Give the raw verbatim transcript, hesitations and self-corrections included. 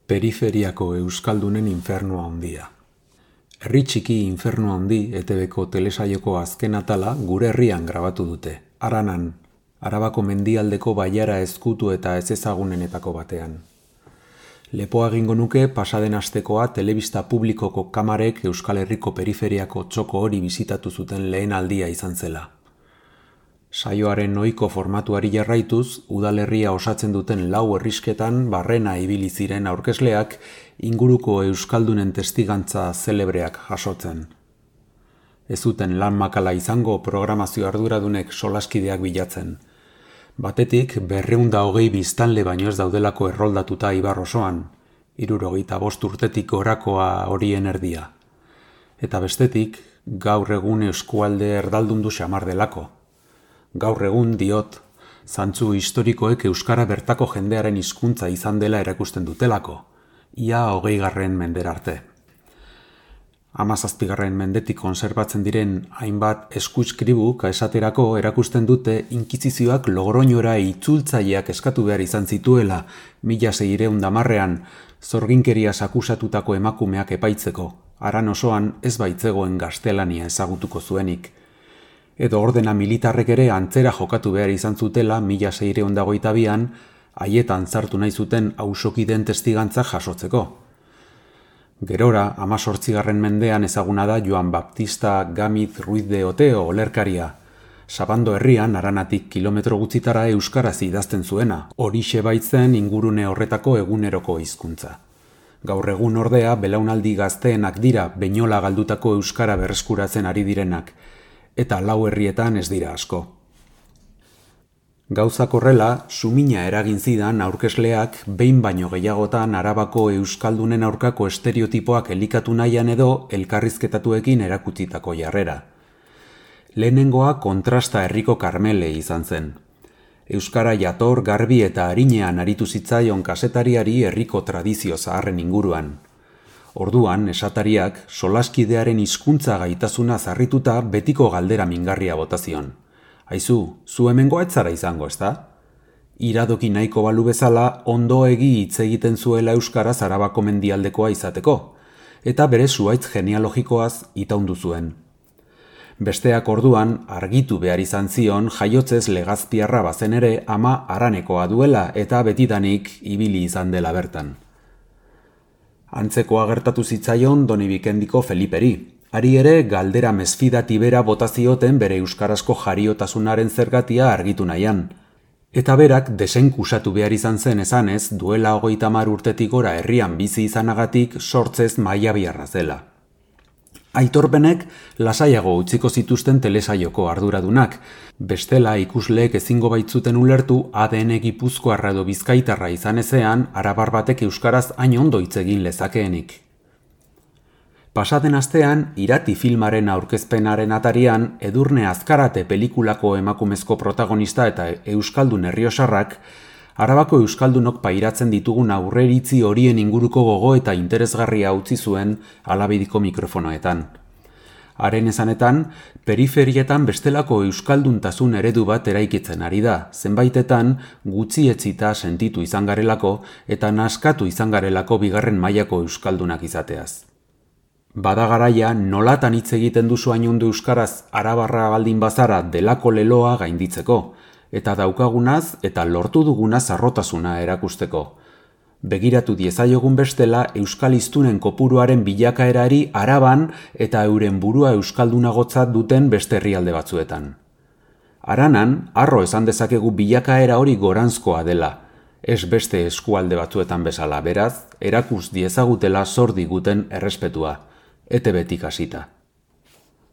Periferiako euskaldunen infernua handia. Herri txiki infernua handi E T Bko telesaioko azken atala gure herrian grabatu dute, Aranan, Arabako mendialdeko bailara ezkutu eta ezezagunenetako batean. Lepoa egingo nuke pasaden astekoa telebista publikoko kamarek Euskal Herriko periferiako txoko hori bisitatu zuten lehen aldia izan zela. Saioaren ohiko formatuari jarraituz, udalerria osatzen duten lau herrisketan barrena ibili ziren aurkezleak inguruko euskaldunen testigantza zelebreak jasotzen. Ez zuten lan makala izango programazio arduradunek solaskideak bilatzen. Batetik, berrehun eta hogei biztanle baino ez daudelako erroldatuta Ibar osoan, hirurogeita bost urtetik gorakoa horien erdia. Eta bestetik, gaur egun eskualde erdaldundu xamar delako. Gaur egun diot, zantzu historikoek euskara bertako jendearen hizkuntza izan dela erakusten dutelako, ia hogeigarren mendera arte. Hamazazpigarren mendetik konserbatzen diren hainbat eskuizkribuk esaterako erakusten dute inkisizioak Logroñora itzultzaileak eskatu behar izan zituela mila seiehun eta hamarrean zorginkeriaz akusatutako emakumeak epaitzeko, Aran osoan ez baitzegoen gaztelania ezagutuko zuenik. Edo ordena militarrek ere antzera jokatu behar izan zutela mila seiehun eta hogeita bian haietan sartu nahi zuten auzokideen testigantza jasotzeko. Gerora, hamazortzigarren mendean ezaguna da Joan Baptista Gámez Ruiz de Oteo olerkaria. Sabando herrian Aranatik kilometro gutxitara euskaraz idazten zuena, horixe baitzen ingurune horretako eguneroko hizkuntza. Gaur egun ordea belaunaldi gazteenak dira beinola galdutako euskara berreskuratzen ari direnak, eta lau herrietan ez dira asko. Gauzak horrela, sumina eragin zidan aurkezleak behin baino gehiagotan Arabako euskaldunen aurkako estereotipoak elikatu nahian edo elkarrizketatuekin erakutsitako jarrera. Lehenengoa kontrasta herriko Karmele izan zen. Euskara jator, garbi eta arinean aritu zitzaion kazetariari herriko tradizio zaharren inguruan. Orduan, esatariak, solaskidearen hizkuntza gaitasuna zarrituta betiko galdera mingarria botazion. Aizu, zu hemengoa ez zara izango, ezta? Iradoki nahiko balu bezala ondo egi hitz egiten zuela euskaraz Arabako mendialdekoa izateko, eta bere zuhaitz genealogikoaz itaundu zuen. Besteak orduan argitu behar izan zion jaiotzez legazpiarra bazen ere ama Aranekoa duela eta betidanik ibili izan dela bertan. Antzekoa gertatu zitzaion Donibikendiko Feliperi. Ari ere galdera mesfidati bera bota zioten bere euskarazko jariotasunaren zergatia argitu nahian. Eta berak desenkusatu behar izan zen esanez duela hogeita hamar urtetik gora herrian bizi izanagatik sortzez mailabiarra zela. Aitorpenek lasaiago utziko zituzten telesaioko arduradunak, bestela ikusleek ezingo baitzuten ulertu A D N gipuzkoarra edo bizkaitarra izan ezean arabar batek euskaraz hain ondo hitz egin lezakeenik. Pasaden astean, Irati filmaren aurkezpenaren atarian, Edurne Azkarate pelikulako emakumezko protagonista eta euskaldun herriosarrak, Arabako euskaldunok pairatzen ditugun aurreiritzi horien inguruko gogo eta interesgarria utzi zuen alabidiko mikrofonoetan. Haren esanetan, periferietan bestelako euskalduntasun eredu bat eraikitzen ari da, zenbaitetan gutxietzita sentitu izan garelako eta naskatu izan garelako bigarren mailako euskaldunak izateaz. Bada garaia nolatan hitz egiten duzu hainundu euskaraz arabarra baldin bazara delako leloa gainditzeko, eta daukagunaz eta lortu dugunaz harrotasuna erakusteko. Begiratu diezaiogun bestela euskal hiztunen kopuruaren bilakaerari Araban eta euren burua euskaldunagotzat duten beste herrialde batzuetan. Aranan, harro esan dezakegu bilakaera hori goranzkoa dela, ez beste eskualde batzuetan bezala, beraz, erakus diezagutela zor diguten errespetua. E T Btik hasita.